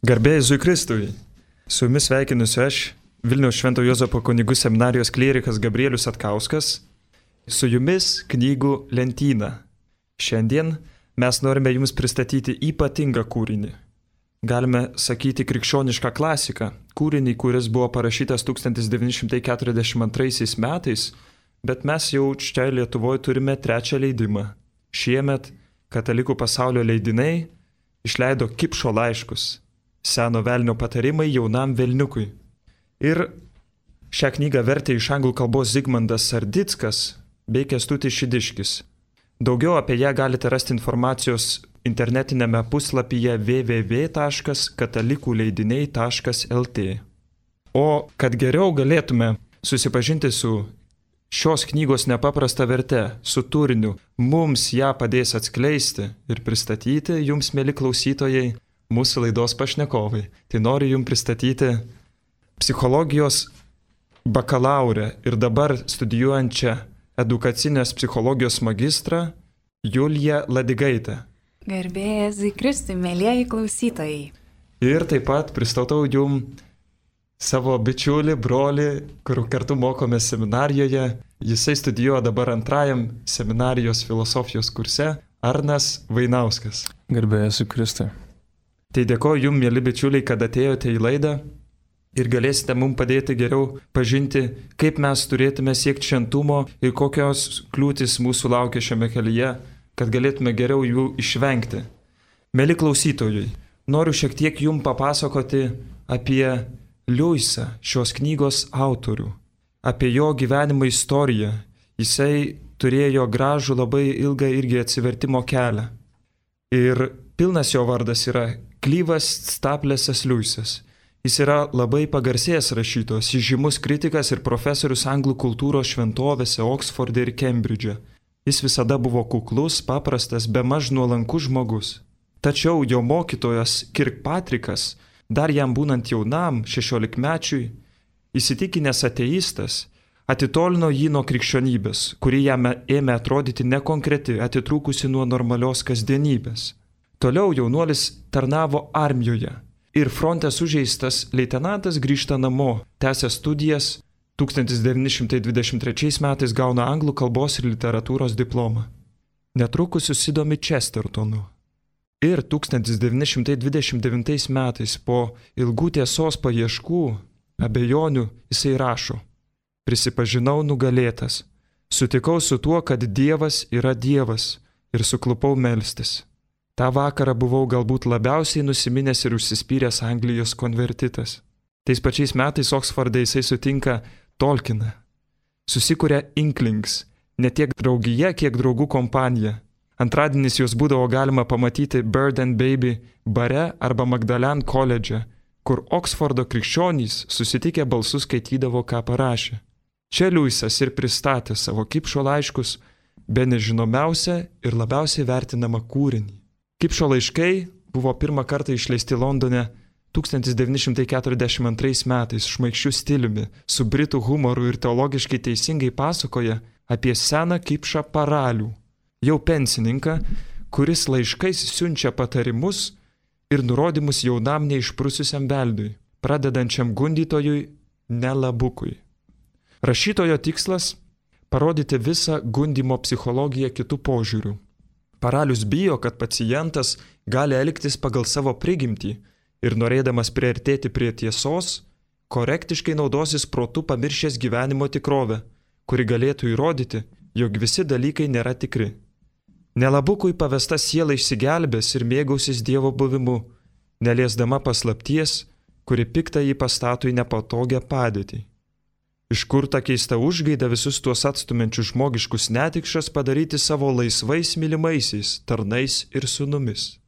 Garbė Jėzui Kristui. Su jumis sveikinusi aš, Vilniaus Švento Juozapo kunigų seminarijos klierikas Gabrielius Atkauskas. Su jumis knygų lentyna. Šiandien mes norime jums pristatyti ypatingą kūrinį. Galime sakyti krikščionišką klasiką, kūrinį, kuris buvo parašytas 1942 metais, bet mes jau čia Lietuvoje turime trečią leidimą. Šiemet Katalikų pasaulio leidiniai išleido Kipšo laiškus. Seno velnio patarimai jaunam velniukui. Ir šią knygą vertė iš anglų kalbos Zigmantas Sardickas bei Kęstutis Šidiškis. Daugiau apie ją galite rasti informacijos internetinėme puslapyje www.katalikulydiniai.lt. O kad geriau galėtume susipažinti su šios knygos nepaprasta verte, su turiniu, mums ją padės atskleisti ir pristatyti jums, mieli klausytojai, mūsų laidos pašnekovai. Tai noriu jums pristatyti psichologijos bakalaurę ir dabar studijuojančią edukacinės psichologijos magistrą Juliją Ladigaitę. Garbė Jėzui Kristui, mėlyjeji klausytojai. Ir taip pat pristatau jums savo bičiulį, brolį, kur kartu mokome seminarijoje. Jisai studijuoja dabar antrajam seminarijos filosofijos kurse, Arnas Vainauskas. Garbė Jėzui Kristui. Tai dėkoju jums, mėly bičiuliai, kad atėjote į laidą ir galėsite mums padėti geriau pažinti, kaip mes turėtume siekti šventumo ir kokios kliūtis mūsų laukia šiame kelyje, kad galėtume geriau jų išvengti. Mėly klausytojai, noriu šiek tiek jums papasakoti apie Liuisą, šios knygos autorių, apie jo gyvenimo istoriją. Jisai turėjo gražų labai ilgą irgi atsivertimo kelią. Ir pilnas jo vardas yra Klyvas Staplesas Liuisas. Jis yra labai pagarsėjęs rašytojas, žymus kritikas ir profesorius anglų kultūros šventovėse Oksforde ir Kembridže. Jis visada buvo kuklus, paprastas, bemaž nuolankus žmogus. Tačiau jo mokytojas Kirkpatrikas, dar jam būnant jaunam 16-mečiui, įsitikinęs ateistas, atitolino jį nuo krikščionybės, kuri jam ėmė atrodyti nekonkreti, atitrūkusi nuo normalios kasdienybės. Toliau jaunuolis tarnavo armijoje ir fronte sužeistas leitenantas grįžta namo, tęsia studijas, 1923 metais gauna anglų kalbos ir literatūros diplomą. Netrukus susidomi Chestertonu. Ir 1929 metais po ilgų tiesos paieškų, abejonių, jisai rašo: prisipažinau nugalėtas, sutikau su tuo, kad Dievas yra Dievas ir suklupau melstis. Ta vakarą buvau galbūt labiausiai nusiminęs ir užsispyręs Anglijos konvertitas. Tais pačiais metais Oksforde jisai sutinka Tolkieną. Susikuria Inklings, ne tiek draugija, kiek draugų kompanija. Antradieniais jos būdavo galima pamatyti Bird and Baby bare arba Magdalen koledže, kur Oksfordo krikščionys susitikę balsus skaitydavo, ką parašė. Čia Liuisas ir pristatė savo Kipšo laiškus, bene žinomiausią ir labiausiai vertinamą kūrinį. Kipšo laiškai buvo pirmą kartą išleisti Londone 1942 metais šmaikščiu stiliumi, su britų humoru ir teologiškai teisingai pasakoja apie seną Kipšą Paralių, jau pensininką, kuris laiškais siunčia patarimus ir nurodymus jaunam neišprususiam velniui, pradedančiam gundytojui Nelabukui. Rašytojo tikslas – parodyti visą gundymo psichologiją kitų požiūrių. Paralius bijo, kad pacientas gali elgtis pagal savo prigimtį ir norėdamas priartėti prie tiesos, korektiškai naudosis protu pamiršęs gyvenimo tikrovę, kuri galėtų įrodyti, jog visi dalykai nėra tikri. Nelabukui pavesta siela išsigelbės ir mėgausis Dievo buvimu, neliesdama paslapties, kuri piktą jį pastato į nepatogią padėtį. Iš kur ta keista užgaida visus tuos atstumiančius žmogiškus netikšas padaryti savo laisvais mylimaisiais, tarnais ir sūnumis.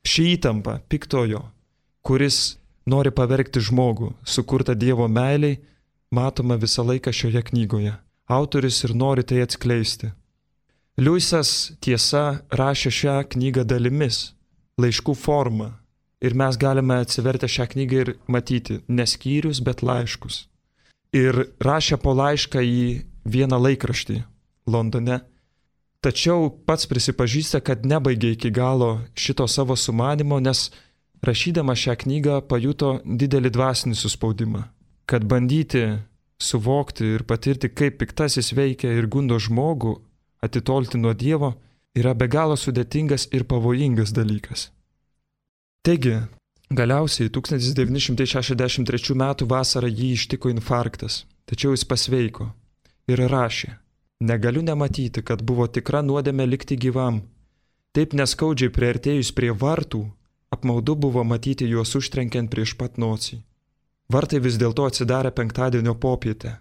Ši įtampa piktojo, kuris nori pavergti žmogų, sukurtą Dievo meiliai, matoma visą laiką šioje knygoje. Autorius ir nori tai atskleisti. Liuisas, tiesa, rašė šią knygą dalimis, laiškų forma, ir mes galime atsivertę šią knygą ir matyti ne skyrius, bet laiškus. Ir rašė po laišką į vieną laikraštį Londone. Tačiau pats prisipažįsta, kad nebaigė iki galo šito savo sumanimo, nes rašydama šią knygą pajuto didelį dvasinį suspaudimą, kad bandyti suvokti ir patirti, kaip piktasis veikia ir gundo žmogų atitolti nuo Dievo, yra be galo sudėtingas ir pavojingas dalykas. Taigi, galiausiai 1963 m. vasarą jį ištiko infarktas, tačiau jis pasveiko ir rašė: negaliu nematyti, kad buvo tikra nuodėmė likti gyvam. Taip neskaudžiai priartėjus prie vartų, apmaudu buvo matyti juos užtrenkiant prieš pat nosį. Vartai vis dėlto atsidarė penktadienio popietę,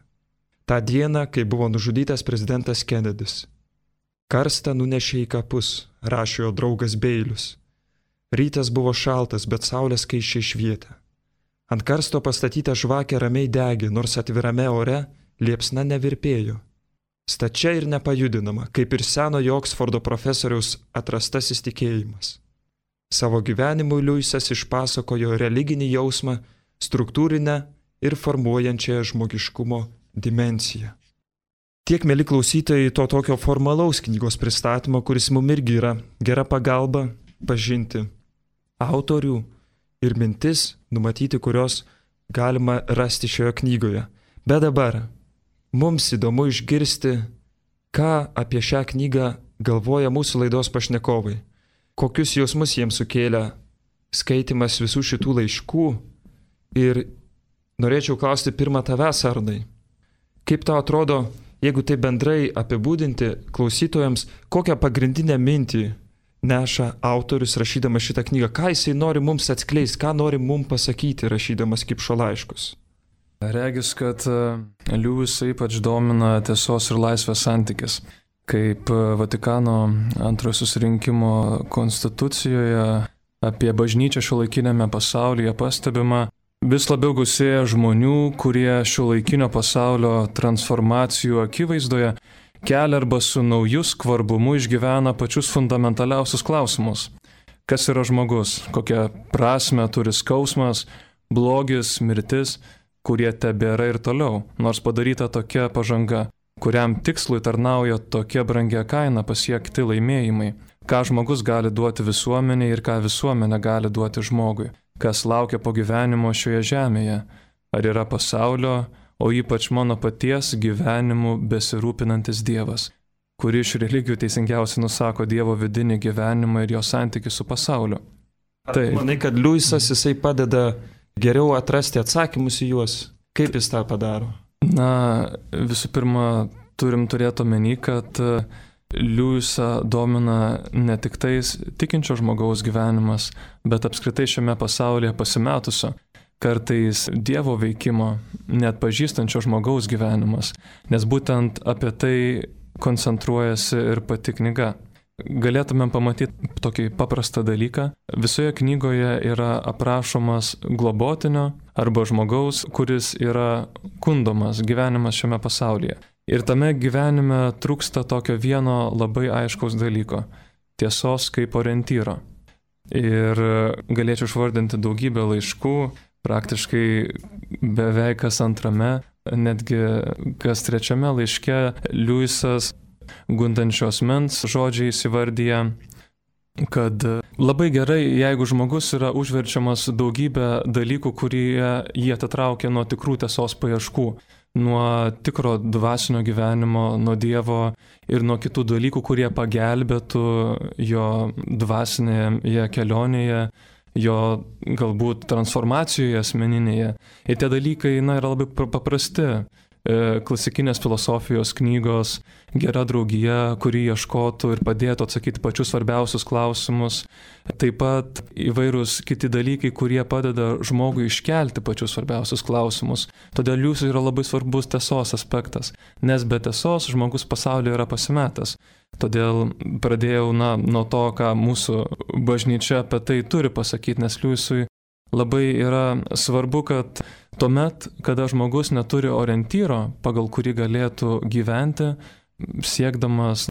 tą dieną, kai buvo nužudytas prezidentas Kennedys. Karstą nunešė į kapus, rašė jo draugas Beilius. Rytas buvo šaltas, bet saulė skaisčiai švietė. Ant karsto pastatyta žvakė ramiai degė, nors atvirame ore liepsna nevirpėjo. Stačia ir nepajudinama, kaip ir senojo Oksfordo profesoriaus atrastasis tikėjimas. Savo gyvenimui Liujisas išpasakojo religinį jausmą, struktūrinę ir formuojančią žmogiškumo dimensiją. Tiek, mėly klausytojai, to tokio formalaus knygos pristatymo, kuris mums irgi yra gera pagalba pažinti autorių ir mintis, numatyti, kurios galima rasti šioje knygoje. Bet dabar mums įdomu išgirsti, ką apie šią knygą galvoja mūsų laidos pašnekovai, kokius jausmus jiems sukėlė skaitimas visų šitų laiškų. Ir norėčiau klausti pirmą tavęs, Arnai. Kaip tau atrodo, jeigu tai bendrai apibūdinti klausytojams, kokią pagrindinę mintį neša autorius rašydamas šitą knygą? Ką jisai nori mums atskleisti, ką nori mums pasakyti rašydamas Kipšo laiškus? Regis, kad Liujisą ypač domina tiesos ir laisvės santykis. Kaip Vatikano antrojo susirinkimo konstitucijoje apie bažnyčią šiuolaikiniame pasaulyje pastebima, vis labiau gausėja žmonių, kurie šiuolaikinio pasaulio transformacijų akivaizdoje kelia arba su nauju skvarbumu išgyvena pačius fundamentaliausius klausimus. Kas yra žmogus, kokią prasmę turi skausmas, blogis, mirtis, kurie tebėra ir toliau, nors padaryta tokia pažanga, kuriam tikslui tarnauja tokia brangia kaina pasiekti laimėjimai, ką žmogus gali duoti visuomeniai ir ką visuomenė gali duoti žmogui. Kas laukia po gyvenimo šioje žemėje, ar yra pasaulio, o ypač mano paties gyvenimu besirūpinantis Dievas, kuri iš religijų teisingiausiai nusako Dievo vidinį gyvenimą ir jo santykį su pasauliu. Tai manai, kad Liujisas jisai padeda geriau atrasti atsakymus į juos? Kaip jis tą padaro? Na, visų pirma, turim turėti omeny, kad Liujisą domina ne tik tais tikinčio žmogaus gyvenimas, bet apskritai šiame pasaulyje pasimetusio, kartais Dievo veikimo, net pažįstančio žmogaus gyvenimas, nes būtent apie tai koncentruojasi ir pati knyga. Galėtumėm pamatyti tokį paprastą dalyką. Visoje knygoje yra aprašomas globotinio arba žmogaus, kuris yra gundomas gyvenimas šiame pasaulyje. Ir tame gyvenime trūksta tokio vieno labai aiškaus dalyko – tiesos kaip orientyro. Ir galėčiau išvardinti daugybę laiškų, praktiškai beveik kas antrame, netgi kas trečiame laiške Liujisas gundančios mens žodžiais įvardyja, kad labai gerai, jeigu žmogus yra užverčiamas daugybę dalykų, kurie jį atitraukia nuo tikrų tiesos paieškų, nuo tikro dvasinio gyvenimo, nuo Dievo ir nuo kitų dalykų, kurie pagelbėtų jo dvasinėje kelionėje, jo galbūt transformacijoje asmeninėje. Ir tie dalykai yra labai paprasti. Klasikinės filosofijos knygos, gera draugija, kuri ieškotų ir padėtų atsakyti pačius svarbiausius klausimus. Taip pat įvairūs kiti dalykai, kurie padeda žmogui iškelti pačius svarbiausius klausimus. Todėl Liujisui yra labai svarbus tiesos aspektas, nes be tiesos žmogus pasaulyje yra pasimetęs. Todėl pradėjau nuo to, ką mūsų bažnyčia apie tai turi pasakyti, nes Liujisui labai yra svarbu, kad tuomet, kada žmogus neturi orientyro, pagal kurį galėtų gyventi, siekdamas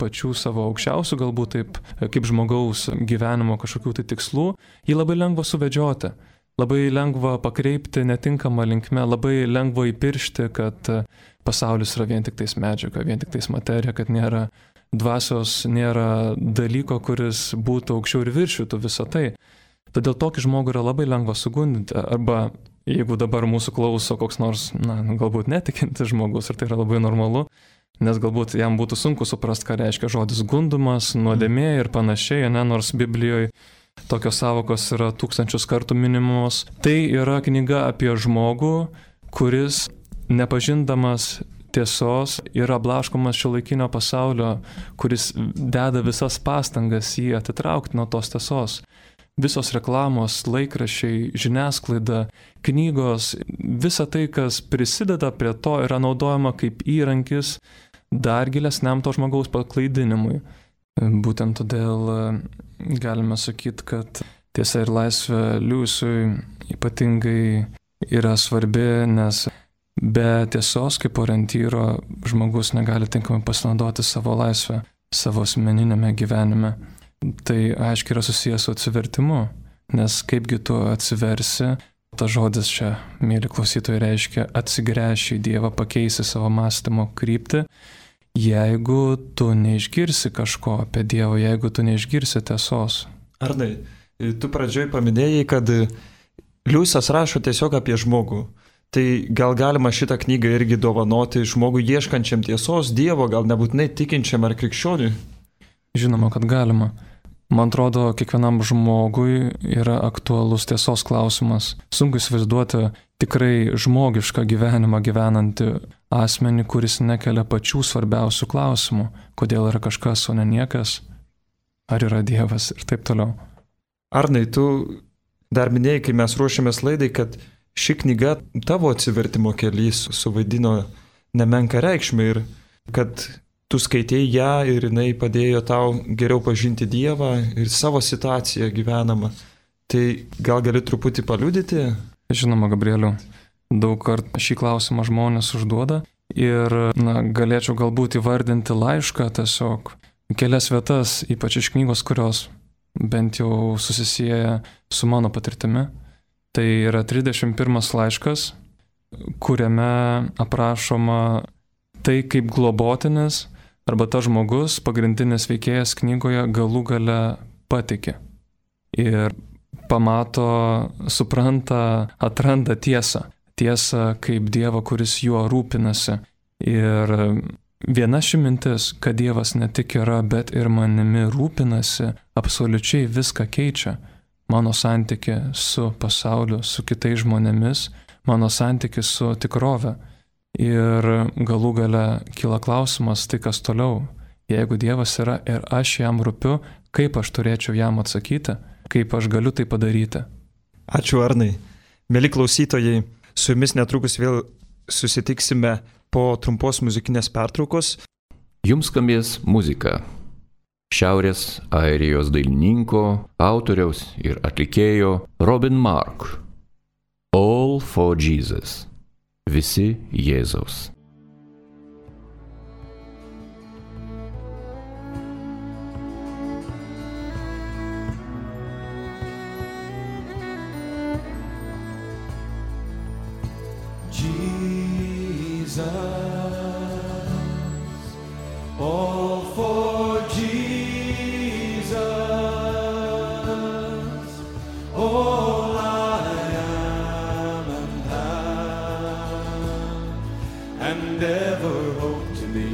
pačių savo aukščiausių, galbūt taip, kaip žmogaus gyvenimo kažkokių tai tikslų, jį labai lengva suvedžioti, labai lengva pakreipti netinkamą linkme, labai lengva įpiršti, kad pasaulis yra vien tik tais medžiaga, vien tik tais materija, kad nėra dvasios, nėra dalyko, kuris būtų aukščiau ir viršytų visą tai. Todėl tokį žmogų yra labai lengva sugundyti. Arba jeigu dabar mūsų klauso koks nors, galbūt netikintis žmogus, ir tai yra labai normalu, nes galbūt jam būtų sunku suprasti, ką reiškia žodis gundumas, nuodėmė ir panašiai, nors Biblijoje tokios savokos yra 1000 kartų minimos. Tai yra knyga apie žmogų, kuris, nepažindamas tiesos, yra blaškomas šiuolaikinio pasaulio, kuris deda visas pastangas jį atitraukti nuo tos tiesos. Visos reklamos, laikraščiai, žiniasklaida, knygos, visa tai, kas prisideda prie to, yra naudojama kaip įrankis dar gilesniam to žmogaus paklaidinimui. Būtent todėl galime sakyti, kad tiesa ir laisvė Liujisui ypatingai yra svarbi, nes be tiesos kaip orientyro žmogus negali tinkamai pasinaudoti savo laisvę savo asmeninėme gyvenime. Tai aiškiai yra susijęs su atsivertimu, nes kaipgi tu atsiversi, tas žodis čia, mėly klausytojai, reiškia atsigręžti į Dievą, pakeisi savo mąstymo kryptį, jeigu tu neišgirsi kažko apie Dievą, jeigu tu neišgirsi tiesos. Arnai, tu pradžioj paminėjai, kad Liujisas rašo tiesiog apie žmogų. Tai gal galima šitą knygą irgi dovanoti žmogui ieškančiam tiesos, Dievo, gal nebūtinai tikinčiam ar krikščioniui? Žinoma, kad galima. Man atrodo, kiekvienam žmogui yra aktualus tiesos klausimas. Sunku įsivaizduoti tikrai žmogišką gyvenimą gyvenantį asmenį, kuris nekelia pačių svarbiausių klausimų. Kodėl yra kažkas, o ne niekas? Ar yra Dievas ir taip toliau. Arnai, tu dar minėjai, kai mes ruošiamės laidai, kad ši knyga tavo atsivertimo keliais suvaidino nemenką reikšmę ir kad tu skaitėjai ją ir jinai padėjo tau geriau pažinti Dievą ir savo situaciją gyvenamą. Tai gal gali truputį paliudyti? Žinoma, Gabrieliau, daug kartų šį klausimą žmonės užduoda ir galėčiau galbūt įvardinti laišką tiesiog kelias vietas, ypač iš knygos, kurios bent jau susisieja su mano patirtimi. Tai yra 31 laiškas, kuriame aprašoma tai, kaip globotinis arba tas žmogus, pagrindinis veikėjas knygoje, galų gale patiki. Ir pamato, supranta, atranda tiesą. Tiesą kaip Dievą, kuris juo rūpinasi. Ir viena ši mintis, kad Dievas ne tik yra, bet ir manimi rūpinasi, absoliučiai viską keičia. Mano santyki su pasauliu, su kitais žmonėmis, mano santyki su tikrove. Ir galų gale kyla klausimas, tai kas toliau? Jeigu Dievas yra ir aš jam rūpiu, kaip aš turėčiau jam atsakyti? Kaip aš galiu tai padaryti? Ačiū, Arnai. Mėly klausytojai, su jumis netrukus vėl susitiksime po trumpos muzikinės pertraukos. Jums skambės muzika. Šiaurės Airijos dailininko, autoriaus ir atlikėjo Robin Mark. All for Jesus. Visi Jėzaus. Jesus, all for Jesus, all I am and have, and ever hope to be.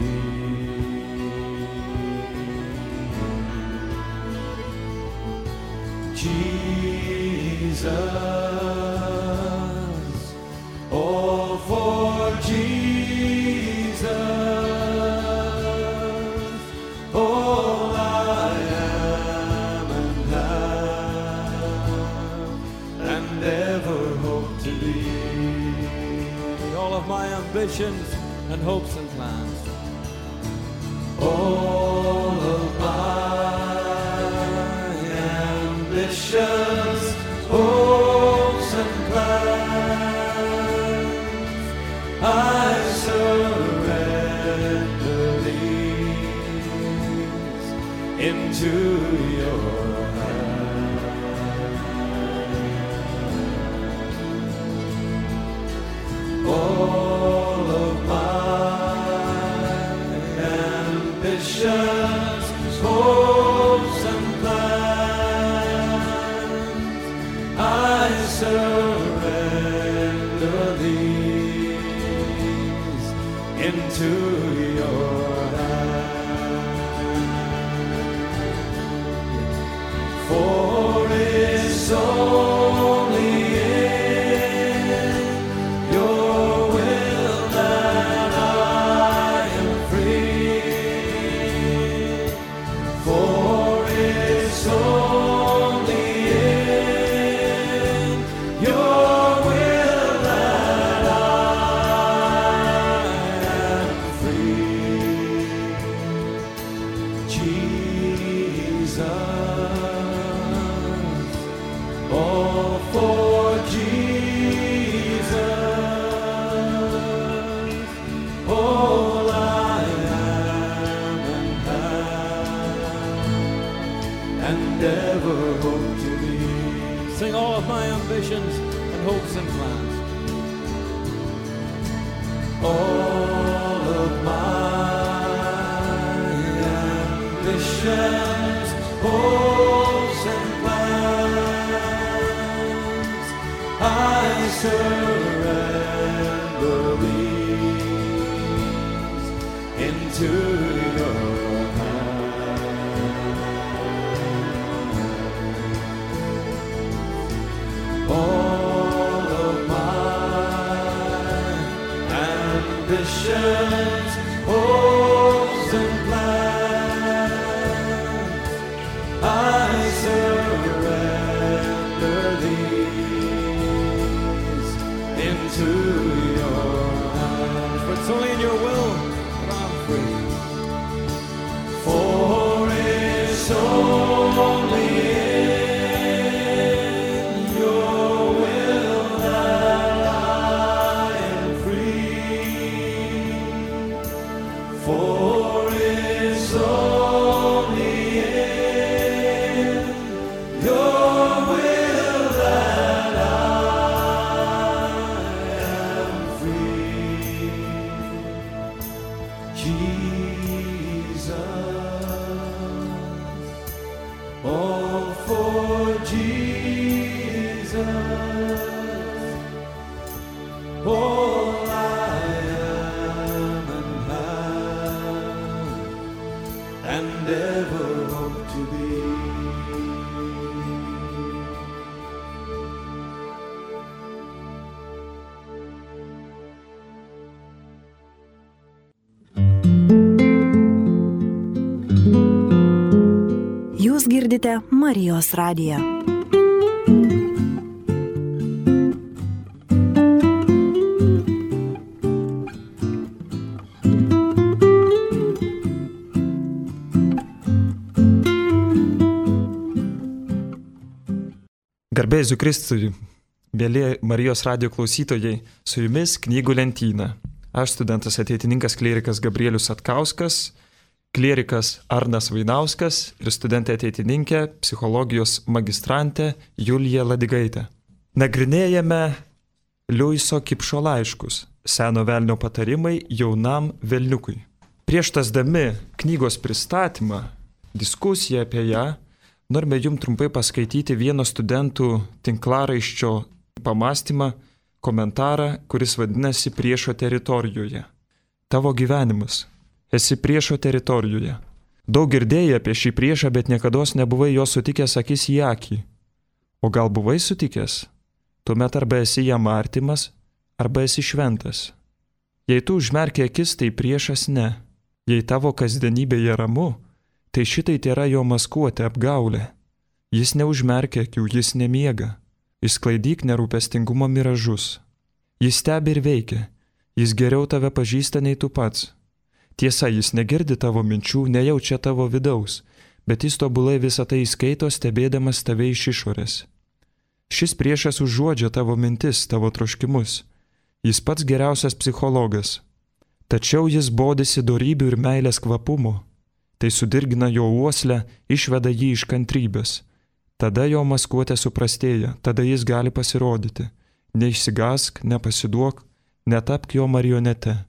Jesus, all for Jesus, all I am and have, and ever hope to be. All of my ambitions and hopes and plans, all of my ambitions, hopes and plans, I surrender these into your hand. All of my ambitions, hopes and plans, I surrender these into your hand. For it's only in your will that I am free. For it's only in your will that I am free. Jesus, all for Jesus, all I am and ever hope to be. Sing all of my ambitions and hopes and plans. All of my ambitions, hopes and plans, I surrender these into your hand. All of my ambitions, hopes and plans, I surrender these into your hands. For it's only in your will that I'm free. For it's only in your will that I am free. For it's only in your will that I am free. Jesus, all for Jesus, all I am and ever hope to be. Jūs girdite Marijos radiją. Garbė Jėzui Kristui, mėly Marijos radijo klausytojai, su jumis knygų lentyna. Aš studentas ateitininkas klierikas Gabrielius Atkauskas, klierikas Arnas Vainauskas ir studentė ateitininkė psichologijos magistrantė Julija Ladigaitė. Nagrinėjame Liuiso Kipšo laiškus, Seno velnio patarimai jaunam velniukui. Prieš tasdami knygos pristatymą, diskusiją apie ją, norime jums trumpai paskaityti vieno studentų tinklaraiščio pamastymą, komentarą, kuris vadinasi Priešo teritorijoje. Tavo gyvenimas. Esi priešo teritorijoje. Daug girdėjai apie šį priešą, bet niekados nebuvai jo sutikęs akis į akį. O gal buvai sutikęs? Tuomet arba esi jam artimas, arba esi šventas. Jei tu užmerki akis, tai priešas ne. Jei tavo kasdienybėje ramu, tai šitai tėra jo maskuotė, apgaulė. Jis neužmerkia akių, jis nemiega. Išsklaidyk nerūpestingumo miražus. Jis stebi ir veikia. Jis geriau tave pažįsta nei tu pats. Tiesa, jis negirdi tavo minčių, nejaučia tavo vidaus, bet jis tobulai visą tai įskaito, stebėdamas tave iš išorės. Šis priešas užuodžia tavo mintis, tavo troškimus. Jis pats geriausias psichologas. Tačiau jis bodisi dorybių ir meilės kvapumo. Tai sudirgina jo uoslę, išveda jį iš kantrybės. Tada jo maskuotė suprastėja, tada jis gali pasirodyti. Neišsigąsk, nepasiduok, netapk jo marionete.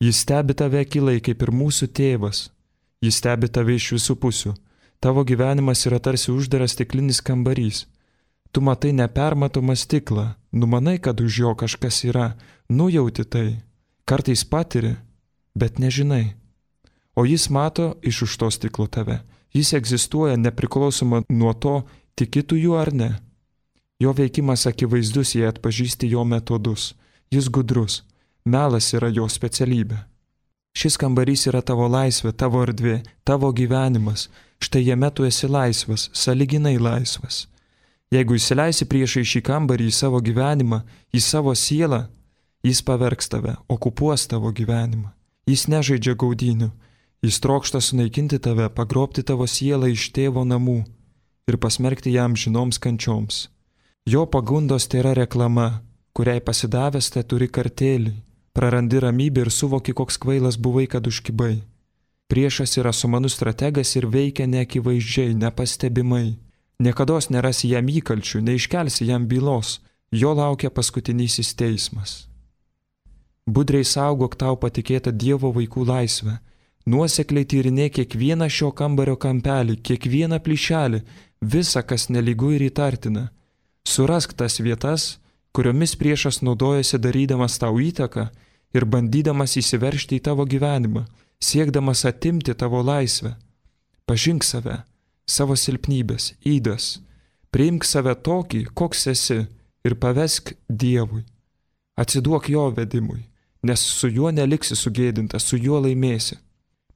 Jis stebi tave akylai kaip ir mūsų tėvas. Jis stebi tave iš visų pusių. Tavo gyvenimas yra tarsi uždaras stiklinis kambarys. Tu matai nepermatomą stiklą, numanai, kad už jo kažkas yra, nujauti tai, kartais patiri, bet nežinai. O jis mato iš už to stiklo tave. Jis egzistuoja nepriklausoma nuo to, tiki tu juo ar ne. Jo veikimas akivaizdus, jei atpažįsti jo metodus. Jis gudrus. Melas yra jo specialybė. Šis kambarys yra tavo laisvė, tavo erdvė, tavo gyvenimas. Štai jame tu esi laisvas, sąlyginai laisvas. Jeigu įsileisi priešai šį kambarį į savo gyvenimą, į savo sielą, jis pavergs tave, okupuos tavo gyvenimą. Jis nežaidžia gaudynių. Jis trokšta sunaikinti tave, pagrobti tavo sielą iš tėvo namų ir pasmerkti jam žinoms kančioms. Jo pagundos tai yra reklama, kuriai pasidavęs tai turi kartėlį, prarandi ramybę ir suvoki, koks kvailas buvai, kad užkibai. Priešas yra sumanus strategas ir veikia neakivaizdžiai, nepastebimai. Niekados nerasi jam įkalčių, neiškelsi jam bylos, jo laukia paskutinysis teismas. Budriai saugok tau patikėtą Dievo vaikų laisvę. Nuosekliai tyrinėk kiekvieną šio kambario kampelį, kiekvieną plyšelį, visą, kas nelygu ir įtartina. Surask tas vietas, kuriomis priešas naudojasi darydamas tau įtaką ir bandydamas įsiveržti į tavo gyvenimą, siekdamas atimti tavo laisvę. Pažink save, savo silpnybės, ydas. Priimk save tokį, koks esi ir pavesk Dievui. Atsiduok jo vedimui, nes su juo neliksi sugėdintas, su juo laimėsi.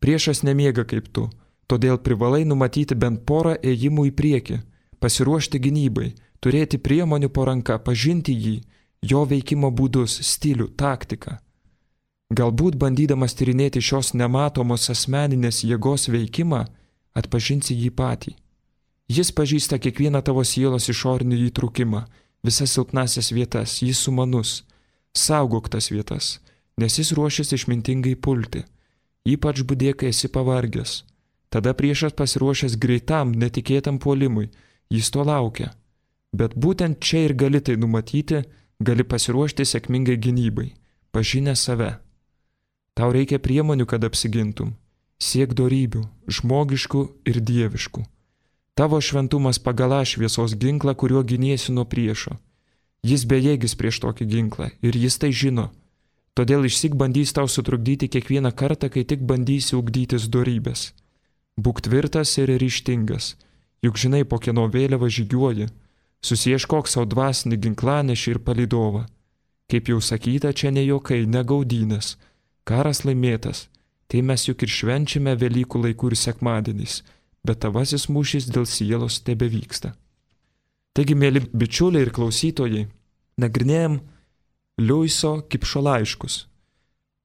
Priešas nemiega kaip tu, todėl privalai numatyti bent porą ėjimų į priekį, pasiruošti gynybai, turėti priemonių po ranka, pažinti jį, jo veikimo būdus, stilių, taktiką. Galbūt bandydamas tyrinėti šios nematomos asmeninės jėgos veikimą, atpažinsi jį patį. Jis pažįsta kiekvieną tavo sielos išorinį įtrūkimą, visas silpnasias vietas, jis sumanus. Saugok tas vietas, nes jis ruošiasi išmintingai pulti. Ypač budėk, kai esi pavargęs. Tada priešas pasiruošęs greitam, netikėtam puolimui. Jis to laukia. Bet būtent čia ir gali tai numatyti, gali pasiruošti sėkmingai gynybai, pažinę save. Tau reikia priemonių, kad apsigintum. Siek dorybių, žmogiškų ir dieviškų. Tavo šventumas pagala šviesos ginklą, kuriuo giniesi nuo priešo. Jis bejėgis prieš tokį ginklą ir jis tai žino. Todėl išsyk bandys tau sutrukdyti kiekvieną kartą, kai tik bandysi ugdytis dorybės. Būk tvirtas ir ryžtingas, juk žinai, po kieno vėliavą žygiuoji. Susieškok savo dvasinį ginklanešį ir palydovą. Kaip jau sakyta, čia ne juokai, ne gaudynės. Karas laimėtas, tai mes juk ir švenčiame Velykų laikų ir sekmadieniais, bet tavasis mūšis dėl sielos tebevyksta. Taigi, mėly bičiuliai ir klausytojai, nagrinėjam Liuiso Kipšo laiškus.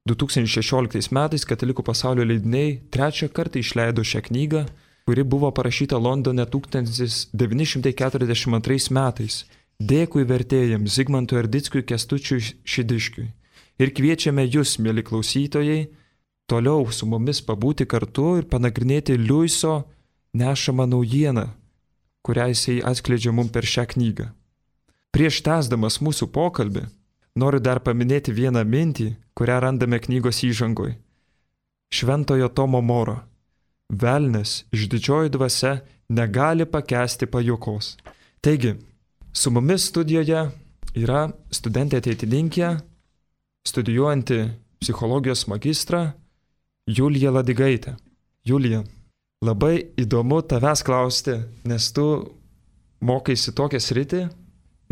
2016 metais Katalikų pasaulio leidiniai trečią kartą išleido šią knygą, kuri buvo parašyta Londone 1942 metais. Dėkui vertėjams Zigmantui Ardickui, Kęstučiui Šidiškiui. Ir kviečiame jūs, mėly klausytojai, toliau su mumis pabūti kartu ir panagrinėti Liuiso nešamą naujieną, kurią jisai atskleidžia mums per šią knygą. Prieš tęsdamas mūsų pokalbį, noriu dar paminėti vieną mintį, kurią randame knygos įžangoj. Šventojo Tomo Moro. Velnias išdidžioji dvasia negali pakęsti pajuokos. Taigi, su mumis studijoje yra studentė ateitininkė, studijuojanti psichologijos magistrą Julija Ladigaitė. Julija, labai įdomu tavęs klausti, nes tu mokaisi tokią sritį,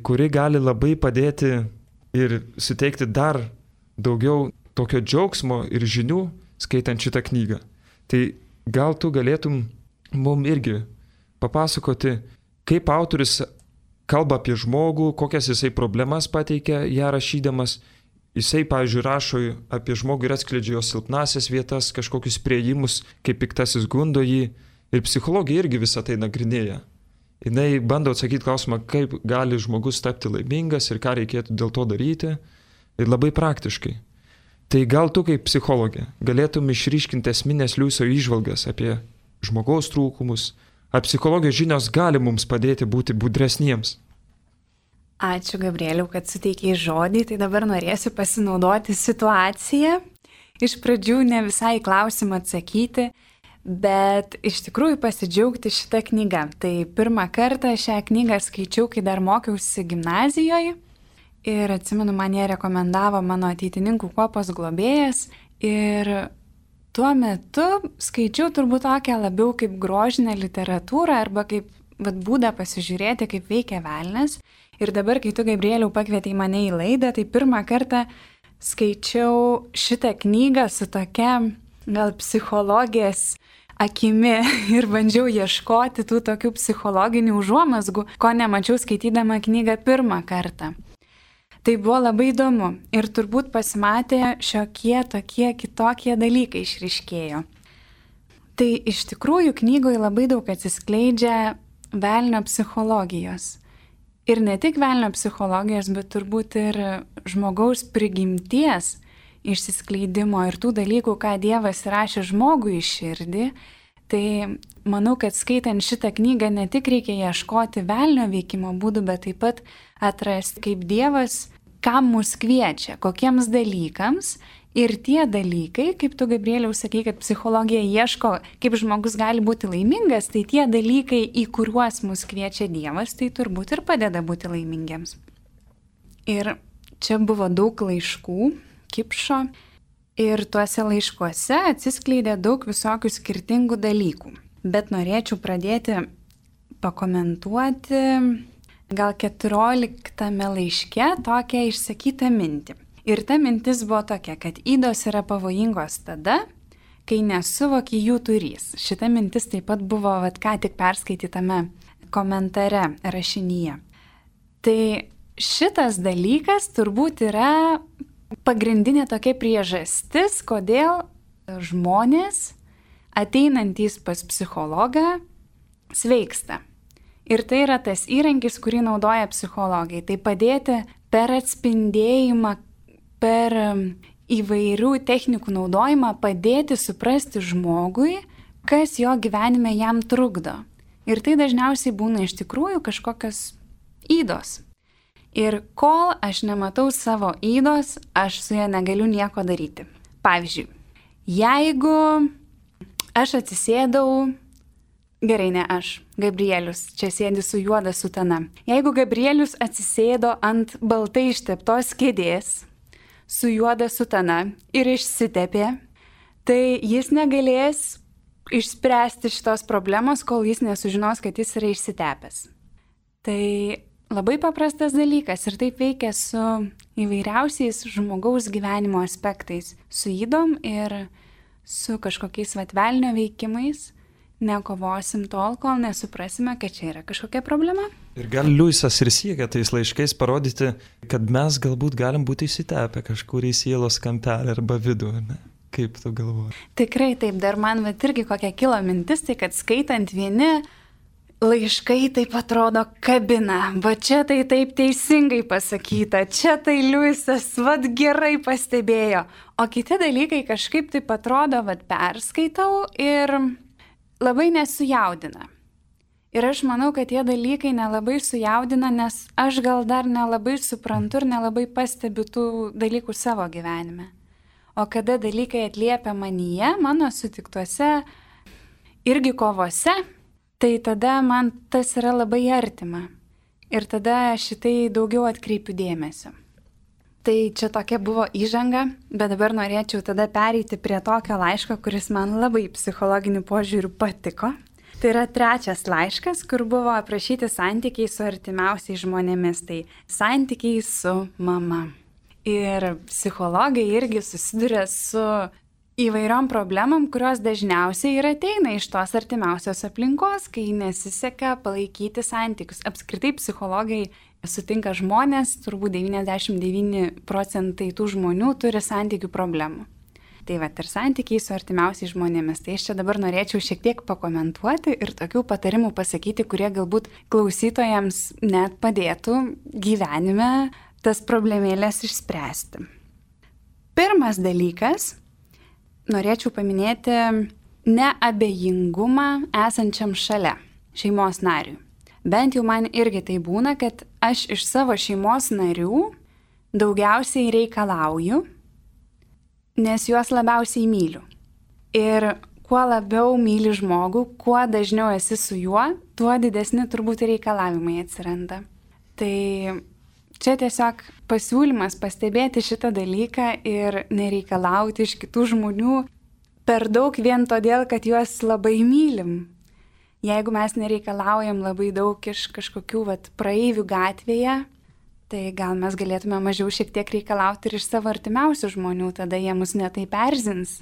kuri gali labai padėti ir suteikti dar daugiau tokio džiaugsmo ir žinių skaitant šitą knygą. Tai gal tu galėtum mums irgi papasakoti, kaip autorius kalba apie žmogų, kokias jisai problemas pateikia ją rašydamas. Jisai, pavyzdžiui, rašo apie žmogų ir atskleidžia jo silpnasias vietas, kažkokius priėjimus, kaip piktasis gundo jį. Ir psichologija irgi visą tai nagrinėja. Jinai bando atsakyti klausimą, kaip gali žmogus tapti laimingas ir ką reikėtų dėl to daryti. Ir labai praktiškai. Tai gal tu kaip psichologė galėtum išryškinti esminės Liuiso įžvalgas apie žmogaus trūkumus. Ar psichologijos žinios gali mums padėti būti budresniems? Ačiū, Gabrieliau, kad suteikei žodį. Tai dabar norėsiu pasinaudoti situaciją. Iš pradžių ne visai klausimą atsakyti, Bet iš tikrųjų pasidžiaugti šitą knygą. Tai pirmą kartą šią knygą skaičiau, kai dar mokiausi gimnazijoje. Ir atsimenu, man ją rekomendavo mano ateitininkų kuopos globėjas. Ir tuo metu skaičiau turbūt tokią labiau kaip grožinę literatūrą arba kaip būdą pasižiūrėti, kaip veikia velnias. Ir dabar, kai tu, Gabrieliau, pakvietei mane į laidą, tai pirmą kartą skaičiau šitą knygą su tokia gal psichologijos akimi ir bandžiau ieškoti tų tokių psichologinių užuomazgų, ko nemačiau skaitydama knygą pirmą kartą. Tai buvo labai įdomu ir turbūt pasimatė šiokie tokie kitokie dalykai išryškėjo. Tai iš tikrųjų knygoje labai daug atsiskleidžia velnio psichologijos. Ir ne tik velnio psichologijos, bet turbūt ir žmogaus prigimties išsiskleidimo ir tų dalykų, ką Dievas rašė žmogui į širdį. Tai manau, kad skaitant šitą knygą ne tik reikia ieškoti velnio veikimo būdų, bet taip pat atrasti, kaip Dievas, kam mus kviečia, kokiems dalykams. Ir tie dalykai, kaip tu, Gabrieliau, sakai, kad psichologija ieško, kaip žmogus gali būti laimingas, tai tie dalykai, į kuriuos mus kviečia Dievas, tai turbūt ir padeda būti laimingiams. Ir čia buvo daug laiškų, Kipšo. Ir tuose laiškuose atsiskleidė daug visokių skirtingų dalykų. Bet norėčiau pradėti pakomentuoti gal 14 laiške tokią išsakytą mintį. Ir ta mintis buvo tokia, kad ydos yra pavojingos tada, kai nesuvoki jų turys. Šita mintis taip pat buvo ką tik perskaitytame komentare rašinyje. Tai šitas dalykas turbūt yra pagrindinė tokia priežastis, kodėl žmonės ateinantys pas psichologą sveiksta. Ir tai yra tas įrankis, kurį naudoja psichologai. Tai padėti per atspindėjimą, per įvairių technikų naudojimą, padėti suprasti žmogui, kas jo gyvenime jam trukdo. Ir tai dažniausiai būna iš tikrųjų kažkokios ydos. Ir kol aš nematau savo ydos, aš su ja negaliu nieko daryti. Pavyzdžiui, jeigu aš atsisėdau, gerai, ne aš, Gabrielius, čia sėdi su juoda sutana. Jeigu Gabrielius atsisėdo ant baltai išteptos kėdės su juoda sutana ir išsitepė, tai jis negalės išspręsti šitos problemos, kol jis nesužinos, kad jis yra išsitepęs. Tai labai paprastas dalykas ir taip veikia su įvairiausiais žmogaus gyvenimo aspektais, su ydom ir su kažkokiais velnio veikimais. Nekovosim tol, kol nesuprasime, kad čia yra kažkokia problema. Ir gal Liujisas ir siekia tais laiškais parodyti, kad mes galbūt galim būti įsitepę kažkur į sielos kampelį arba vidų, ne? Kaip tu galvoji? Tikrai taip, dar man irgi kokia kilo mintis, tai kad skaitant vieni laiškai taip atrodo kabina, va čia tai taip teisingai pasakyta, čia tai Liujisas gerai pastebėjo, o kiti dalykai kažkaip taip atrodo, perskaitau ir labai nesujaudina. Ir aš manau, kad tie dalykai nelabai sujaudina, nes aš gal dar nelabai suprantu ir nelabai pastebiu tų dalykų savo gyvenime. O kada dalykai atliepia manyje, mano sutiktuose irgi kovose, tai tada man tas yra labai artima. Ir tada šitai daugiau atkreipiu dėmesio. Tai čia tokia buvo įžanga, bet dabar norėčiau tada pereiti prie tokio laiško, kuris man labai psichologiniu požiūriu patiko. Tai yra 3 laiškas, kur buvo aprašyti santykiai su artimiausiais žmonėmis, tai santykiai su mama. Ir psichologai irgi susiduria su įvairiom problemom, kurios dažniausiai ir ateina iš tos artimiausios aplinkos, kai nesiseka palaikyti santykius. Apskritai psichologai sutinka žmonės, turbūt 99% tų žmonių turi santykių problemų. Tai ir santykiai su artimiausiais žmonėmis. Tai aš čia dabar norėčiau šiek tiek pakomentuoti ir tokių patarimų pasakyti, kurie galbūt klausytojams net padėtų gyvenime tas problemėlės išspręsti. Pirmas dalykas, norėčiau paminėti neabejingumą esančiam šalia šeimos nariui. Bent jau man irgi tai būna, kad aš iš savo šeimos narių daugiausiai reikalauju, nes juos labiausiai myliu. Ir kuo labiau myli žmogų, kuo dažniau esi su juo, tuo didesni turbūt reikalavimai atsiranda. Tai čia tiesiog pasiūlymas pastebėti šitą dalyką ir nereikalauti iš kitų žmonių per daug vien todėl, kad juos labai mylim. Jeigu mes nereikalaujam labai daug iš kažkokių praeivių gatvėje, tai gal mes galėtume mažiau šiek tiek reikalauti ir iš savo artimiausių žmonių, tada jie mus netaip erzins.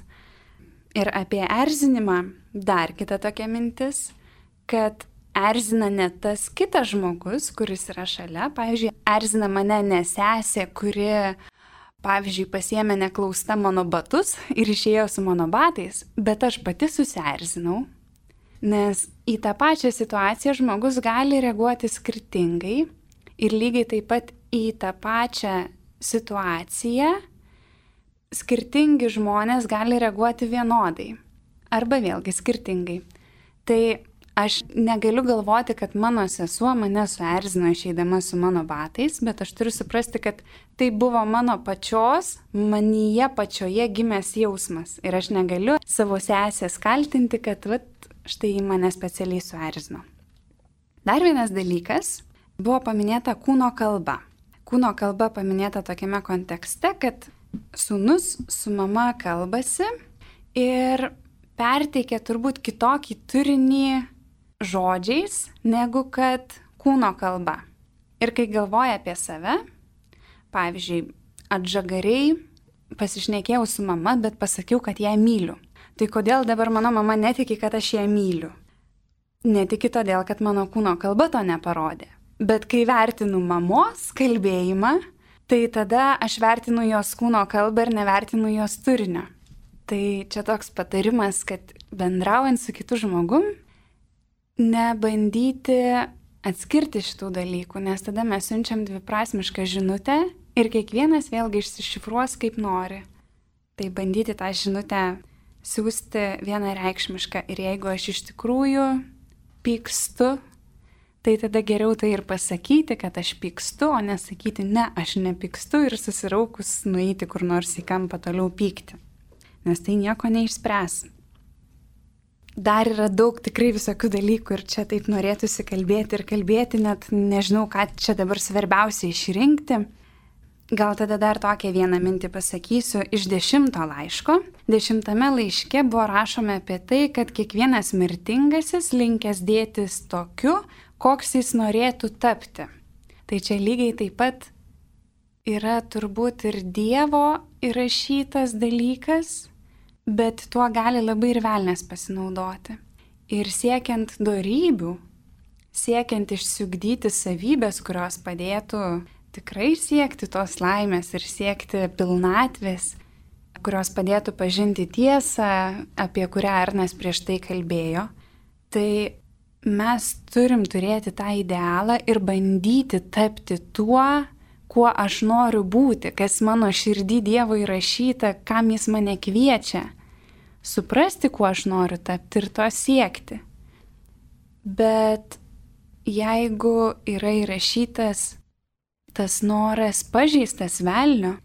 Ir apie erzinimą dar kita tokia mintis, kad erzina ne tas kitas žmogus, kuris yra šalia. Pavyzdžiui, erzina mane ne sesė, kuri, pavyzdžiui, pasiėmė neklausta mano batus ir išėjo su mano batais, bet aš pati susierzinau. Nes į tą pačią situaciją žmogus gali reaguoti skirtingai ir lygiai taip pat į tą pačią situaciją skirtingi žmonės gali reaguoti vienodai arba vėlgi skirtingai. Tai aš negaliu galvoti, kad mano sesuo mane suerzino išeidama su mano batais, bet aš turiu suprasti, kad tai buvo mano pačios, manyje pačioje gimęs jausmas. Ir aš negaliu savo sesės kaltinti, kad štai mane specialiai suerzino. Dar vienas dalykas buvo paminėta kūno kalba. Kūno kalba paminėta tokiame kontekste, kad sūnus su mama kalbasi ir perteikia turbūt kitokį turinį žodžiais, negu kad kūno kalba. Ir kai galvoja apie save, pavyzdžiui, atžagariai pasišnekėjau su mama, bet pasakiau, kad ją myliu. Tai kodėl dabar mano mama netiki, kad aš ją myliu? Netiki todėl, kad mano kūno kalba to neparodė. Bet kai vertinu mamos kalbėjimą, tai tada aš vertinu jos kūno kalbą ir nevertinu jos turinio. Tai čia toks patarimas, kad bendraujant su kitu žmogum, nebandyti atskirti šitų dalykų, nes tada mes siunčiam dviprasmišką žinutę ir kiekvienas vėlgi išsišifruos kaip nori. Tai bandyti tą žinutę siūsti vienareikšmišką ir jeigu aš iš tikrųjų pykstu, tai tada geriau tai ir pasakyti, kad aš pykstu, o nesakyti, ne, aš nepykstu ir susiraukus nueiti kur nors į kampą toliau pykti, nes tai nieko neišspręs. Dar yra daug tikrai visokių dalykų ir čia taip norėtųsi kalbėti, net nežinau, ką čia dabar svarbiausia išrinkti. Gal tada dar tokią vieną mintį pasakysiu iš 10 laiško. 10 laiške buvo rašoma apie tai, kad kiekvienas mirtingasis linkęs dėtis tokiu, koks jis norėtų tapti. Tai čia lygiai taip pat yra turbūt ir Dievo įrašytas dalykas, bet tuo gali labai ir velnias pasinaudoti. Ir siekiant dorybių, siekiant išsiugdyti savybės, kurios padėtų tikrai siekti tos laimės ir siekti pilnatvės, kurios padėtų pažinti tiesą, apie kurią Arnas prieš tai kalbėjo, tai mes turim turėti tą idealą ir bandyti tapti tuo, kuo aš noriu būti, kas mano širdį Dievo įrašyta, kam jis mane kviečia. Suprasti, kuo aš noriu tapti ir to siekti. Bet jeigu yra įrašytas tas noras pažeistas velnio,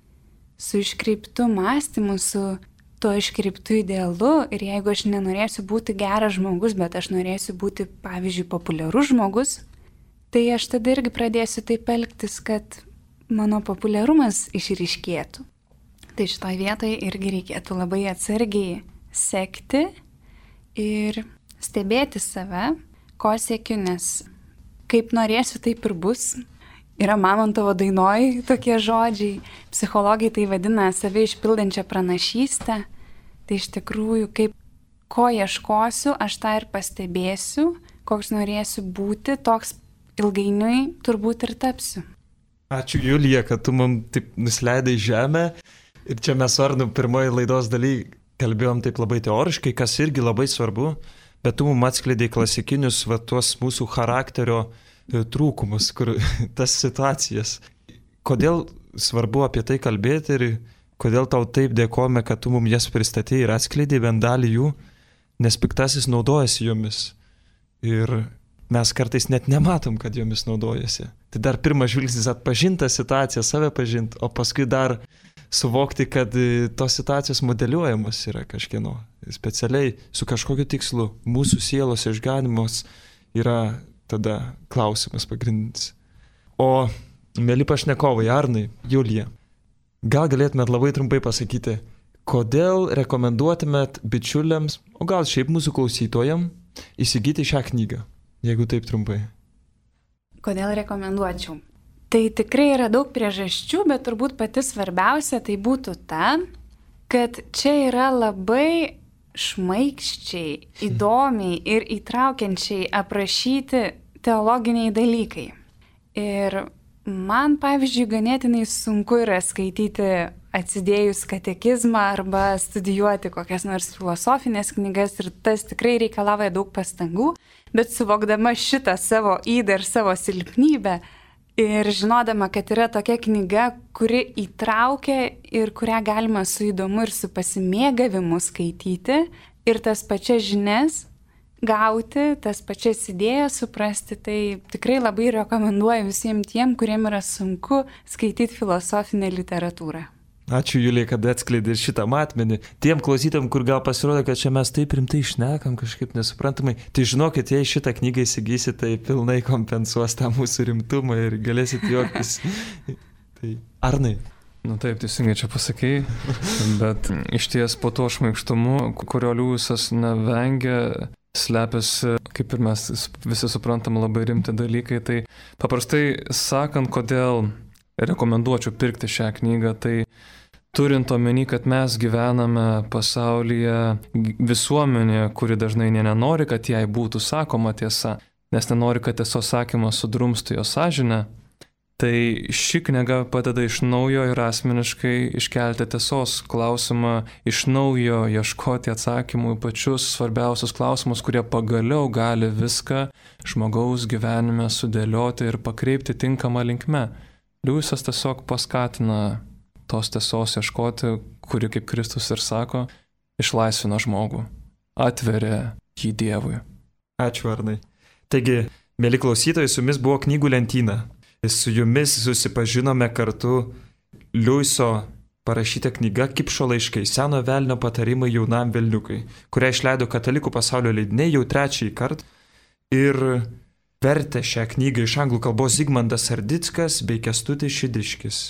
su iškreiptu mąstymu, su to iškreiptu idealu, ir jeigu aš nenorėsiu būti geras žmogus, bet aš norėsiu būti, pavyzdžiui, populiarus žmogus, tai aš tada irgi pradėsiu taip elgtis, kad mano populiarumas išryškėtų. Tai šitoj vietoje irgi reikėtų labai atsargiai sekti ir stebėti save, ko siekiu, nes kaip norėsiu, taip ir bus. Yra Mamontovo dainoj tokie žodžiai, psichologai tai vadina save išpildančią pranašystę. Tai iš tikrųjų, ko ieškosiu, aš tą ir pastebėsiu, koks norėsiu būti, toks ilgainiui turbūt ir tapsiu. Ačiū Julija, kad tu mums taip nusileidai žemę. Ir čia mes Arnu pirmoji laidos daly kalbėjom taip labai teoriškai, kas irgi labai svarbu, bet tu mums atskleidai klasikinius tuos mūsų charakterio trūkumus, tas situacijas. Kodėl svarbu apie tai kalbėti ir kodėl tau taip dėkojame, kad tu mums jas pristatėjai ir atskleidai bent dalį jų, nes piktasis naudojasi jomis. Ir mes kartais net nematom, kad jomis naudojasi. Tai dar pirmas žvilgsnis atpažinta situacija, save pažinti, o paskui dar suvokti, kad tos situacijos modeliuojamos yra kažkieno. Specialiai su kažkokiu tikslu. Mūsų sielos išganimas yra tada klausimas pagrindinis. O, mėly pašnekovai, Arnai, Julija, gal galėtumėt labai trumpai pasakyti, kodėl rekomenduotumėt bičiuliams, o gal šiaip mūsų klausytojams, įsigyti šią knygą, jeigu taip trumpai? Kodėl rekomenduočiau? Tai tikrai yra daug priežasčių, bet turbūt pati svarbiausia tai būtų ta, kad čia yra labai šmaikščiai, įdomiai ir įtraukiančiai aprašyti teologiniai dalykai. Ir man, pavyzdžiui, ganėtinai sunku yra skaityti atsidėjus katekizmą arba studijuoti kokias nors filosofinės knygas ir tas tikrai reikalauja daug pastangų, bet suvokdama šitą savo ydą ir savo silpnybę ir žinodama, kad yra tokia knyga, kuri įtraukia ir kurią galima su įdomu ir su pasimėgavimu skaityti ir tas pačias žinias gauti, tas pačias idėjas suprasti, tai tikrai labai rekomenduoju visiems tiem, kuriem yra sunku skaityti filosofinę literatūrą. Ačiū, Julija, kad atskleidė šitą matmenį. Tiem klausytam, kur gal pasirodo, kad čia mes taip rimtai šnekam, kažkaip nesuprantamai, tai žinokit, jei šitą knygą įsigysit, tai pilnai kompensuos tą mūsų rimtumą ir galėsit juoktis. Tai Arnai. Na taip, teisingai čia pasakei, bet iš ties po to šmaikštumu, kurio Liujisas nevengia, slepiasi, kaip ir mes visi suprantam, labai rimti dalykai. Tai paprastai sakant, kodėl rekomenduočiau pirkti šią knygą, tai turint omeny, kad mes gyvename pasaulyje visuomenėje, kuri dažnai nenori, kad jai būtų sakoma tiesa, nes nenori, kad tiesos sakymas sudrumstų jo sąžinę, tai ši knyga padeda iš naujo ir asmeniškai iškelti tiesos klausimą, iš naujo ieškoti atsakymų į pačius svarbiausius klausimus, kurie pagaliau gali viską žmogaus gyvenime sudėlioti ir pakreipti tinkamą linkme. Liujisas tiesiog paskatina tos tiesos ieškoti, kuri, kaip Kristus ir sako, išlaisvina žmogų, atveria jį Dievui. Ačiū, Arnai. Taigi, mėly klausytojai, su jumis buvo Knygų lentyna. Su jumis susipažinome kartu Liujiso parašyta knyga Kipšo laiškai, Seno velnio patarimai jaunam velniukui, kurią išleido Katalikų pasaulio leidiniai jau 3 kartą. Ir vertė šią knygą iš anglų kalbos Zigmantas Sardickas bei Kęstutis Šidriškis.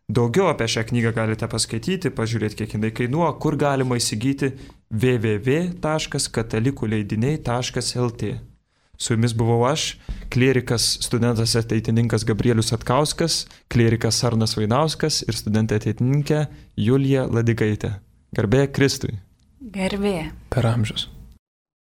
Daugiau apie šią knygą galite paskaityti, pažiūrėti, kiek jinai kainuoja, kur galima įsigyti www.katalikuleidiniai.lt. Su jumis buvau aš, klierikas, studentas ateitininkas Gabrielius Atkauskas, klierikas Arnas Vainauskas ir studentė ateitininkė Julija Ladigaitė. Garbė Kristui. Garbė. Per amžius.